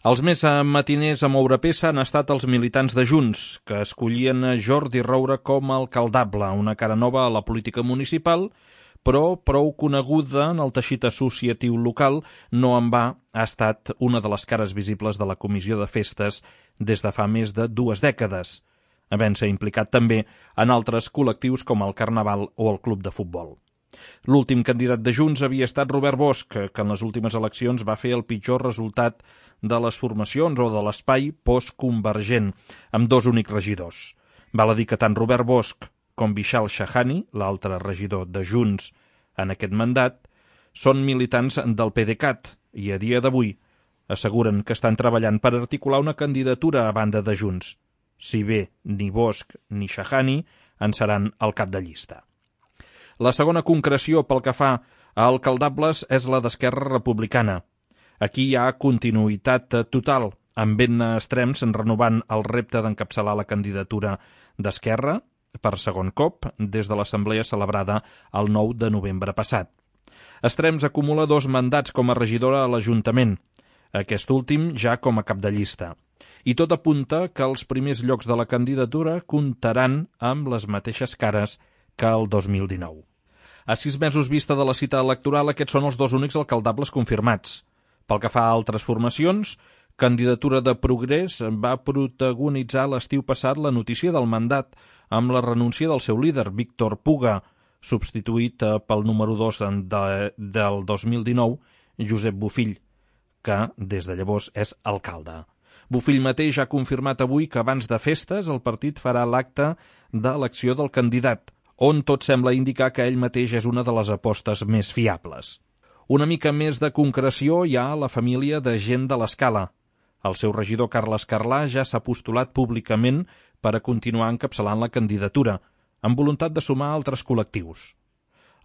Els més matiners a moure peça han estat els militants de Junts, que escollien Jordi Roure com a alcaldable, una cara nova a la política municipal, però prou coneguda en el teixit associatiu local, no en va ha estat una de les cares visibles de la comissió de festes des de fa més de 2 dècades, havent-se implicat també en altres col·lectius com el Carnaval o el Club de Futbol. L'últim candidat de Junts havia estat Robert Bosch, que en les últimes eleccions va fer el pitjor resultat de les formacions o de l'espai postconvergent, amb 2 únics regidors. Val a dir que tant Robert Bosch com Vishal Shahani, l'altre regidor de Junts en aquest mandat, són militants del PDeCAT i a dia d'avui asseguren que estan treballant per articular una candidatura a banda de Junts, si bé ni Bosch ni Shahani en seran el cap de llista. La segona concreció pel que fa a alcaldables és la d'Esquerra Republicana. Aquí hi ha continuïtat total, amb ben extrems renovant el repte d'encapçalar la candidatura d'Esquerra per segon cop des de l'assemblea celebrada el 9 de novembre passat. Extrems acumula 2 mandats com a regidora a l'Ajuntament, aquest últim ja com a cap de llista. I tot apunta que els primers llocs de la candidatura comptaran amb les mateixes cares que el 2019. A 6 mesos vista de la cita electoral, aquests són els 2 únics alcaldables confirmats. Pel que fa a altres formacions, Candidatura de Progrés va protagonitzar l'estiu passat la notícia del mandat amb la renúncia del seu líder, Víctor Puga, substituït pel número 2 del 2019, Josep Bofill, que des de llavors és alcalde. Bofill mateix ha confirmat avui que abans de festes el partit farà l'acte d'elecció del candidat, on tot sembla indicar que ell mateix és una de les apostes més fiables. Una mica més de concreció hi ha a la família de gent de l'Escala. El seu regidor Carles Carlà ja s'ha postulat públicament per a continuar encapçalant la candidatura, amb voluntat de sumar altres col·lectius.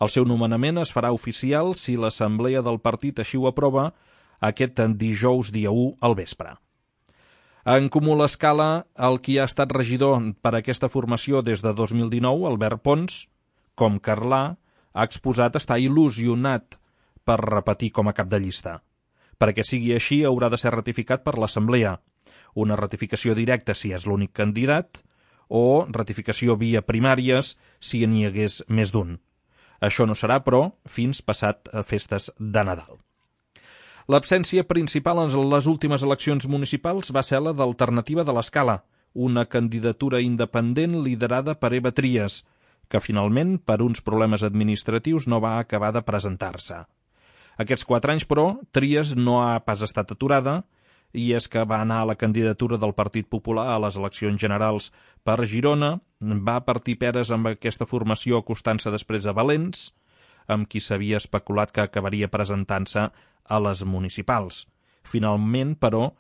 El seu nomenament es farà oficial si l'assemblea del partit així ho aprova aquest dijous dia 1 al vespre. En Comú l'Escala, el qui ha estat regidor per a aquesta formació des de 2019, Albert Pons, com Carlà, ha exposat estar il·lusionat per repetir com a cap de llista. Perquè sigui així, haurà de ser ratificat per l'Assemblea, una ratificació directa si és l'únic candidat o ratificació via primàries si n'hi hagués més d'un. Això no serà, però, fins passat festes de Nadal. L'absència principal en les últimes eleccions municipals va ser la d'Alternativa de l'Escala, una candidatura independent liderada per Eva Trias, que finalment, per uns problemes administratius, no va acabar de presentar-se. Aquests 4 anys, però, Trias no ha pas estat aturada, i és que va anar a la candidatura del Partit Popular a les eleccions generals per Girona, va partir peres amb aquesta formació acostant-se després a Valents, amb qui s'havia especulat que acabaria presentant-se a les municipals. Finalment, però,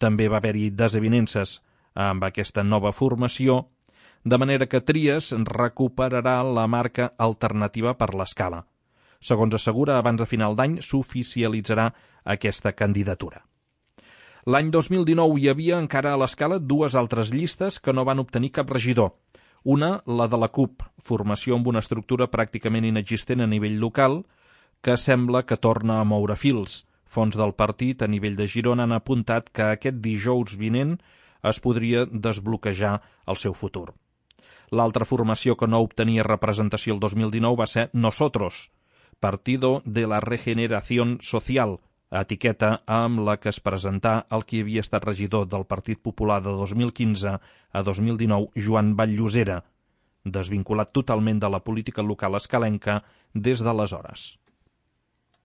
també va haver-hi desavinences amb aquesta nova formació, de manera que Trias recuperarà la marca Alternativa per l'Escala. Segons assegura, abans de final d'any s'oficialitzarà aquesta candidatura. L'any 2019 hi havia encara a l'Escala 2 altres llistes que no van obtenir cap regidor. Una, la de la CUP, formació amb una estructura pràcticament inexistent a nivell local, que sembla que torna a moure fils. Fons del partit a nivell de Girona han apuntat que aquest dijous vinent es podria desbloquejar el seu futur. L'altra formació que no obtenia representació el 2019 va ser Nosotros, Partido de la Regeneración Social, etiqueta amb la que es presentà el qui havia estat regidor del Partit Popular de 2015 a 2019, Joan Vall-llosera, desvinculat totalment de la política local escalenca des d'aleshores.